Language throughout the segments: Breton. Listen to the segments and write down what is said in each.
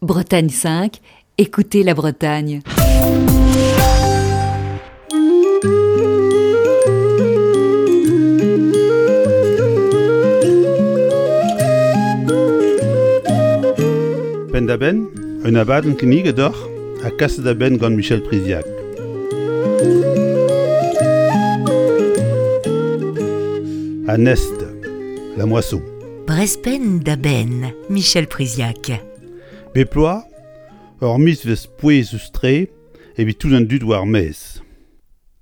Bretagne 5, écoutez la Bretagne. Penn-da-benn, un abadenn kinniget deoc'h ha kaset da benn gant Michel Priziac. An Est, la moisson. Brezpenn da benn, Michel Priziac. Bep bloaz, ur mizvezh pouezus-tre evit tout an dud war maez.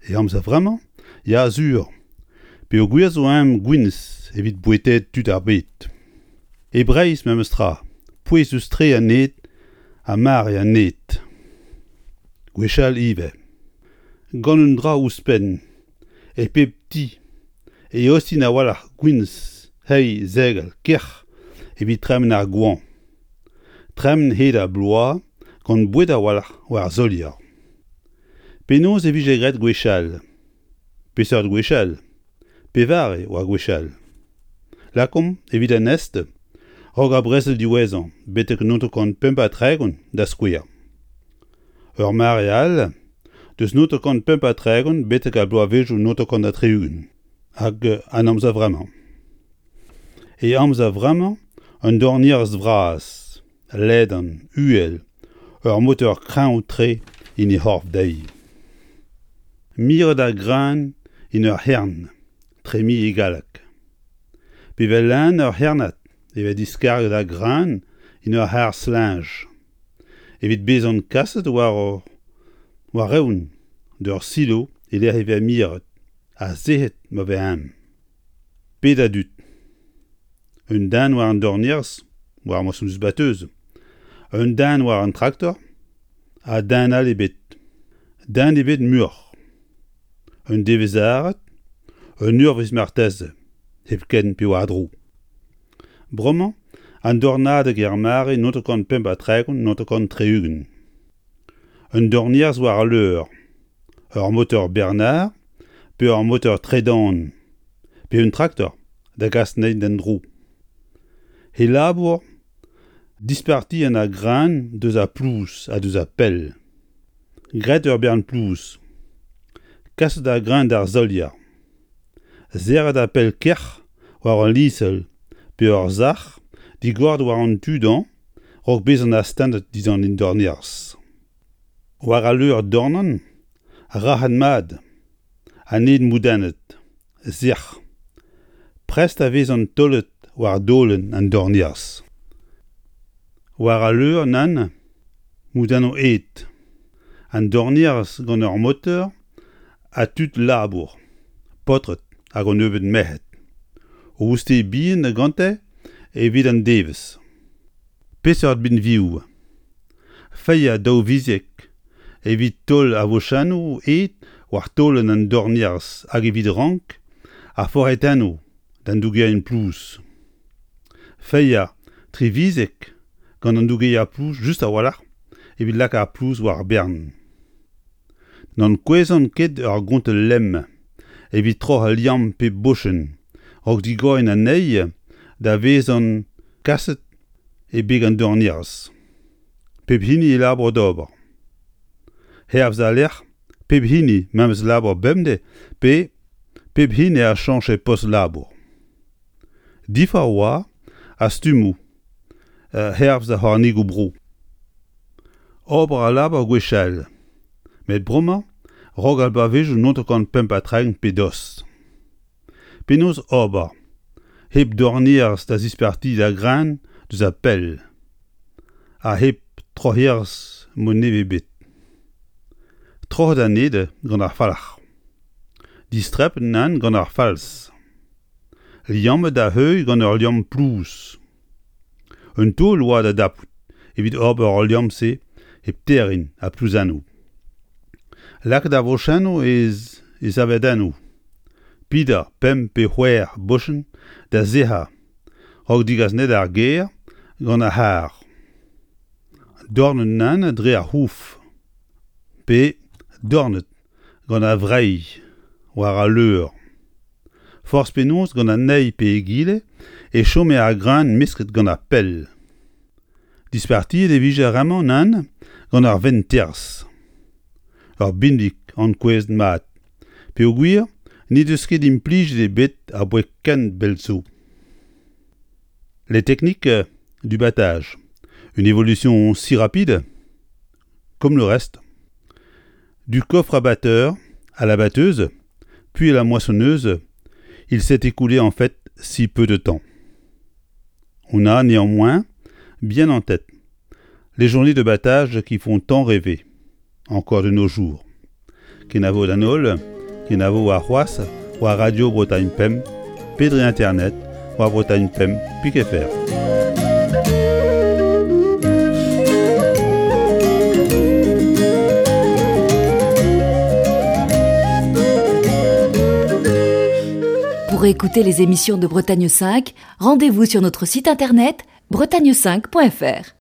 E amzer vremañ, ya sur, peogwir zo eñ gwinizh evit bouetaet tud ar bed. E Breizh memes tra, pouezus-tre an ed ha mare an ed. Gwechall ivez. Gant un dra ouzhpenn, e pep ti e eostin a-walc'h gwinizh, heiz, segal, kerc'h evit tremen ar goañv. Tremen hed ar bloaz gant boued a-walc'h war solier. Penaos e vije graet gwechall? Peseurt gwechall? Pevare oa gwechall? Lakaomp, evit an Est, raok ar brezel diwezhañ betek 1935 da skouer. Ur mare all, deus 1935 betek ar bloavezhioù 1960 hag an amzer vremañ. E amzer vremañ un dornierez vras, ledan, uhel, ur motor kreñv-tre en he c'horf dezhi. Miret ar greun en ur c'hern, tremi e galleg. Pe vel-henn ur c'hernad e vez diskarget ar greun en ur c'harr-slinj. Evit bezañ kaset war war-eeun d'ur silo e-lec'h e vez miret ha sec'het ma vez eñ. Pet a dud? Un den war an dornierz, war moasoñs-bateuz, un den war an traktor ha den all ebet. Den ebet muioc'h. Un devezh-arat, un eurvezh marteze, hepken pe war-dro. Bremañ, an dornadeg er mare 935 960. Un dornierz war al leur, ur motor Bernard pe ur motor tredan pe un traktor da gas anezhi d'en-dro. He labour, dispartiañ ar greun deus ar plouz ha deus ar pell. Graet ur bern plouz. Kaset ar greun d'ar solier. Serret ar pell kerc'h war ul liñsel pe ur sac'h digoret war an tu dañ 'raok bezañ astennet dindan an dornierz. War al leur dornan, rac'het-mat, an ed moudennet, sec'h. Prest a vezan taolet war daolenn an dornierz. War al leur nann, moudennoù ed. An dornierz gant ur moteur ha tud labour, paotred hag un nebeud merc'hed. O ouzhte bihan gante evit an devezh. Peseurt binvioù? Failhañ daouviziek evit taol ar vochennoù ed war taolenn an dornierz hag evit rank ar forc'hetennoù d'an dougerien plouz. Failhañ triviziek gant an dougeier plouz just a-walc'h evit lakaat ar plouz war ar bern. N'ankouezan ket ur gontell lemm evit troc'hañ liamm pep bochenn raok digoriñ anezhi da vezañ kaset e beg an dornierz. Pep hini e labour d'ober. Hervez al lec'h, pep hini memes labour bemdez pe pep hini a chañche post-labour. Diforc'h oa ar stummoù hervez ar c'hornigoù-bro. Ober al labour gwechall, met bremañ 'raok ar bloavezhioù 95 pe dost. Penaos ober hep dornierz da zispartiañ da grenn deus ar pell ha hep troc'herez mod nevez ebet? Troc'het an ed gant ar falc'h. Distrepet nann gant ar falz. Liammet da heuilh gant ul liamm plouz. Un taol oa da dapout evit ober al liamm-se hep terriñ ha plouzennoù. Lakaat ar vochennoù e savedennoù, pidañ pemp pe c'hwec'h bochenn da sec'hañ a-raok degas anezhe d'ar gêr gant ar c'harr. Dornet nann dre ar c'houf pe dornet gant ar vreiz war al leur. Forzh penaos gant an eil pe egile e chome ar greun mesket gant ar pell. Dispartiet e vije ar re-mañ, nann, gant ar vent-terzh. Ur binvig ankouaet mat, peogwir n'he deus ket implijet ebet aboae ken bell zo. Les techniques du battage, une évolution si rapide comme le reste. Du coffre à batteur à la batteuse, puis à la moissonneuse, il s'est écoulé en fait si peu de temps. On a néanmoins bien en tête les journées de battage qui font tant rêver, encore de nos jours. Kenavo d'an holl, kenavo warc'hoazh war Radio Bretagne Pemp pe dre internet war Bretagne Pemp pik fr. Pour écouter les émissions de Bretagne 5, rendez-vous sur notre site internet bretagne5.fr.